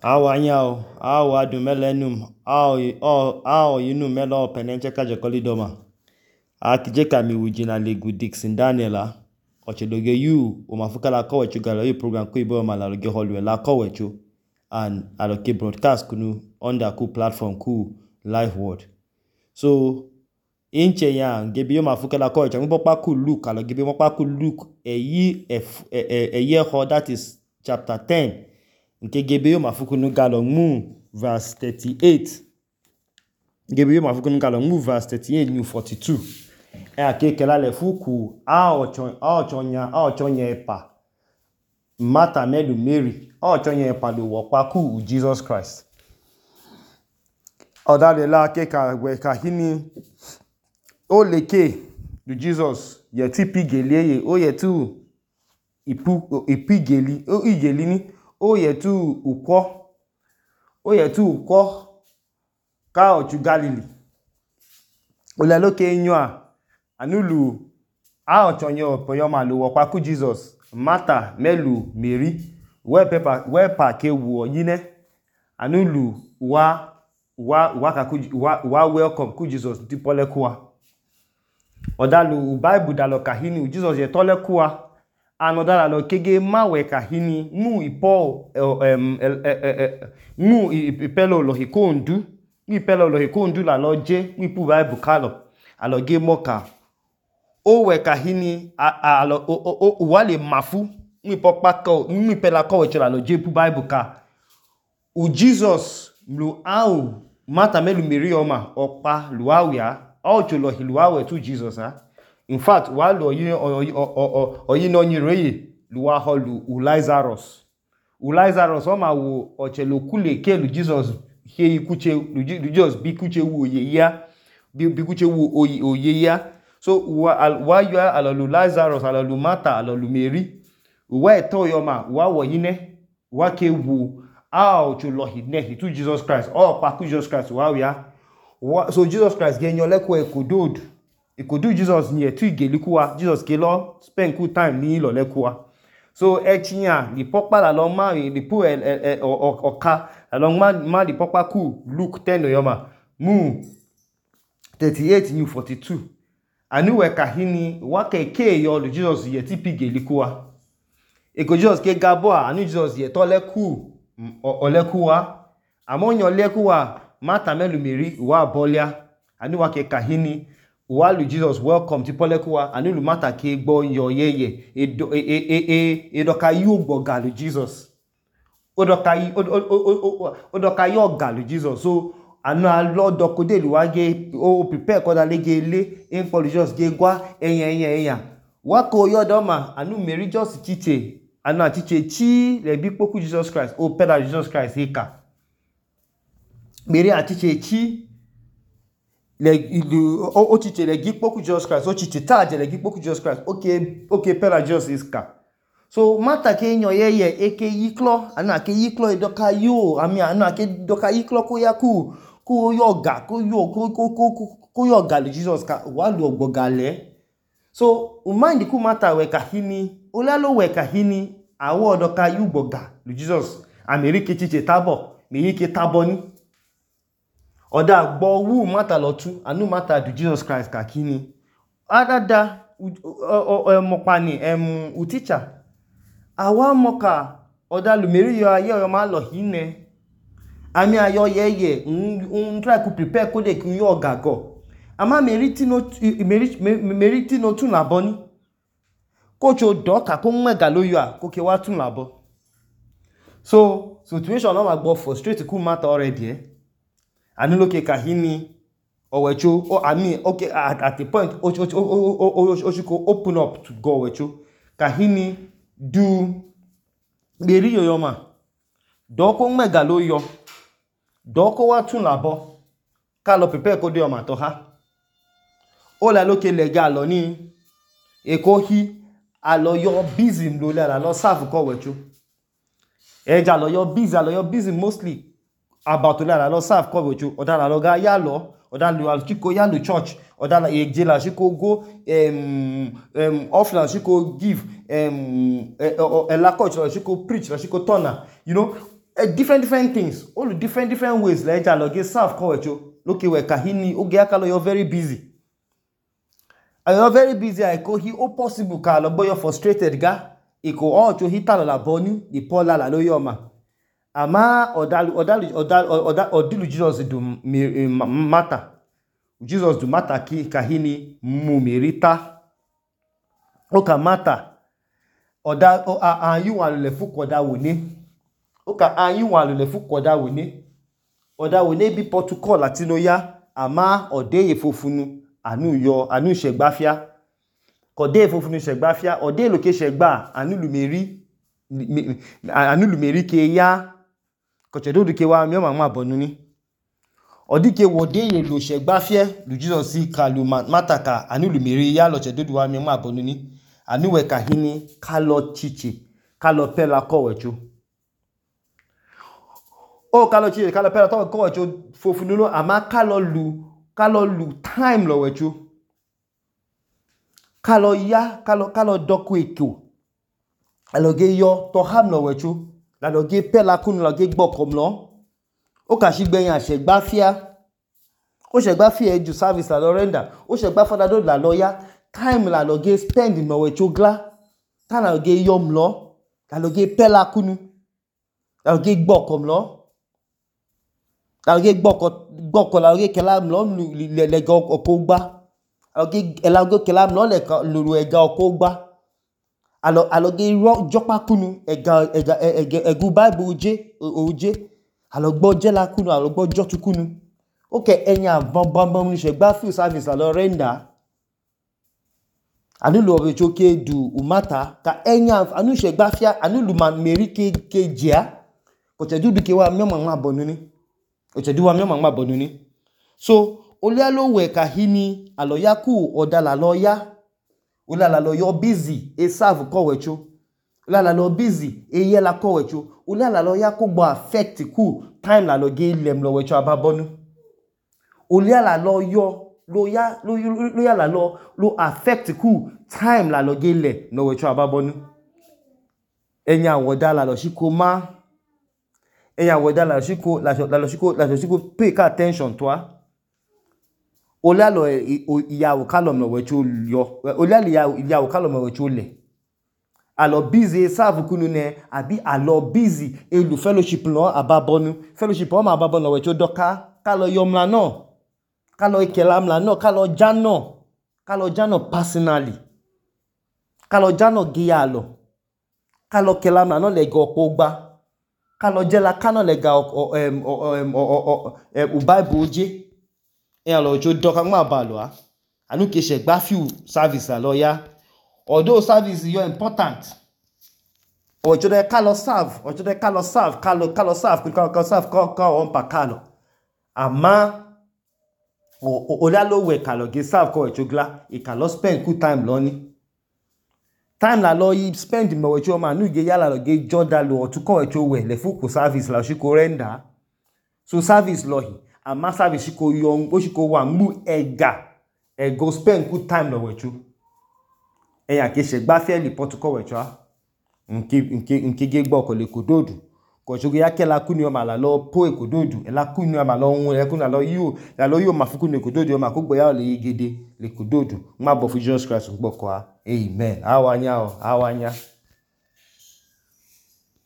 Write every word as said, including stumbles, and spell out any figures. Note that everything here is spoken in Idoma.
Awa nyao, awa du melenum, awa yinu melo penenche kaje kolidoma. Akijeka mi wujina legu Dixon Daniela. Ochedoge yu umafuka la kowechu galo yu program ku ibo ma la loge holwe la kowechu and aloke broadcast kunu under ku platform ku live world. So inche ya gebi yo mafuka la kowechu ngibo pa ku Luke alo gebi mo pa ku Luke eyi eye ho that is chapter ten. Nke gebe yo mafuku nu galo mu verse thirty-eight. Gebe yo mafuku nu galo mu verse thirty-eight new forty-two. E akeke la le fuku a ochon a ochonya a ochonya epa. Martha melu Mary. A ochonya epa lo wopa ku Jesus Christ. Odale la akeka we kahini o leke du Jesus ye ti pigeliye o ye tu ipu ipigeli o igeli ni o ye tu ukwo o ye tu ukwo ka ochu Galili ole loke nyoa anulu a ochonyo opoyo ma lo wopa ku Jesus Martha melu Mary we pepa we pa ke wo yine anulu wa wa wa ka ku wa, wa welcome ku Jesus ti pole kuwa odalu Bible dalo kahini Jesus ye tole kuwa anodala lo kege mawe kahini mu ipo um mu ipelo lo hikondu ipelo lo hikondu la lo je ipu Bible kalo alo ge moka o we kahini alo o o wale mafu mi popa ko mi pela ko we la lo je ipu Bible ka u Jesus lu au Martha melu Mary oma opa luawia o cholo hiluawe tu Jesus ha. In fact, while oyi no nyireye luwa holu u Lazarus. U Lazarus oma wo ochelo kule ke lu Jesus he kuche lu Jesus bi kuche wo ye ya bi kuche wo oye ya. So wa you ala lu Lazarus ala lu Martha ala lu Mary. Wa to yoma wa wo yine wa ke wo a ochelo hine to Jesus Christ. O pa ku Jesus Christ wa ya. So Jesus Christ genyo lekwe kodod. Ikodu Jesus nye tu igelikuwa Jesus kelo spend good time ni lo lekuwa so echinya di popa la lo ma di pu oka la lo ma ma di popa ku Luke ten yoma mu thirty-eight new forty-two anu we kahini wa keke yo lu Jesus ye ti pigelikuwa eko Jesus ke gabo anu Jesus ye to leku olekuwa amonyo lekuwa Martha melu Mary wa bolia anu wa ke kahini while Jesus welcome ti polekuwa anulu Martha ke gbo yo yeye edo e e e edoka yu gboga lu Jesus odoka yi odoka yo ga lu Jesus so anu alo dokode lu wage o prepare ko da lege le in for Jesus ge gwa eyan eyan eyan wa ko yo do ma anu Mary just chiche anu atiche chi le bi poku Jesus Christ o peda Jesus Christ heka Mary atiche chi le ilu o chiche le gipoku Jesus Christ o chiche taje le gipoku Jesus Christ okay okay pera Jesus is ka so Martha ke nyo yeye eke yiklo ana ke yiklo edoka yo ami ana ke doka yiklo ko ya ku ku yoga ku yo ku ku ku yoga le Jesus ka wa lu ogbogale so u mind ku Martha we kahini olalo we kahini awo doka yu gboga lu Jesus America chiche tabo mi yike tabo ni Oda gbo wu Martha lotu anu Martha du Jesus Christ kakini adada mokpani em u teacher awa moka oda lu Mary yo aye yo ma lo hine ami ayo yeye un try to prepare ko de ki yo gago ama Mary ti no Mary Mary ti no tun labo ni ko cho doka ko mwega lo yo a ko ke wa tun labo so situation no ma gbo frustrate ku Martha already eh anu loke kahini owecho o I mean okay at, at the point o o o open up to go owecho kahini du Mary yoyoma doko mega lo yo doko wa tun labo ka lo prepare ko de o ma to ha o la loke legal lo ni eko hi alo yo busy lo la lo serve ko owecho eja lo yo busy alo yo busy mostly about la lo serve ko owecho odala lo ga ya lo odalu alchiko ya lo church odala eje la shiko go um um offline shiko give um e la coach la shiko preach la shiko turner you know uh, different different things all different different ways la eja lo ge serve ko wecho loke we kahini oge akalo you're very busy and you're very busy I ko hi o possible ka lo boyo frustrated ga iko o cho hita la boni di pola la lo yoma ama odalu odalu odalu odilu Jesus do matter Jesus do matter ki kahini mumirita o ka matter oda o ayu wa le fu koda woni o ka ayu wa le fu koda woni oda woni bi protocol latino ya ama ode ye fofunu anu yo anu segbafia kode fofunu segbafia ode lo ke segba anu lumeri anu lumeri ke ya ko chedo du ke wa mi o ma ma bonu ni odi ke wode ye lo segbafia lu Jesus si ka lu mataka anu lumeri ya lo chedo du wa mi o ma bonu ni anu we kahini kalo chichi kalo pela ko wecho o kalo chichi kalo pela to ko wecho fofunu lo ama kalo lu kalo lu time lo wecho kalo ya kalo kalo doku eko aloge yo to ham lo wecho la loge pela kunu la ge gbokom lo o ka sigbeyin asegbafia o segbafia ju service la lo render o segbafia do la lo ya time la loge spend no wecho gla ta la loge yom lo la loge pela kunu la loge gbokom lo la loge gboko gboko la loge kelam lo le le go okogba aloge elago kelam lo le lulu ega okogba alo aloge ro jopa kunu ega ega egu bible oje oje alogbo je la kunu alogbo jotu kunu okay enya bam bam bam ni segba full service la lo render anu lo be choke du umata ka enya anu segba fia anu lu man meri ke ke jia ko te du du ke wa mi ma ma bonu ni o te du wa mi ma ma bonu ni so ole alo we kahini aloya ku odala loya ola la lo yo busy e serve ko wecho ola la lo busy e ye la ko wecho ola la lo ya ko gbo affect ku time la lo ge lem lo wecho ababonu ola la lo yo lo ya lo lo ya la lo lo affect ku time la lo ge le no wecho ababonu enya woda la lo shiko ma enya woda la shiko la lo shiko la lo shiko pay attention to a ola lo iyawo kalom lo wecho yo ola le iyawo kalom lo wecho le alo busy serve kunu ne abi alo busy elu fellowship lo ababonu fellowship o ma ababonu lo wecho doka kalo yomla no kalo ikelamla no kalo jano kalo jano personally kalo jano giyalo kalo kelamla no le go pogba kalo jela kano le ga em u bible oje e alo jo doka ma balo a anu ke se gba few service la loya although service yo important o jo de kalo serve o jo de kalo serve kalo kalo serve kalo serve ko ko on pa kalo ama o o la lo we kalo ge serve ko echogla e kalo spend good time lo ni time la lo yi spend mo we cho ma nu ge yala lo ge joda lo o tu ko echo we le fu ko service la shi ko render so service lo hi ama service ko yo o shi ko wa mu ega e go spend good time lo we cho e ya ke se gba fe li pot ko we cho nki nki nki ge gbo ko le kododu ko jogo ya ke la kuni o ma la lo po e kododu e la kuni o ma lo un e kuni la lo yo la lo yo ma fu kuni kododu o ma ko gbo ya le yegede le kododu ma bo fu Jesus Christ gbo ko a amen awanya o awanya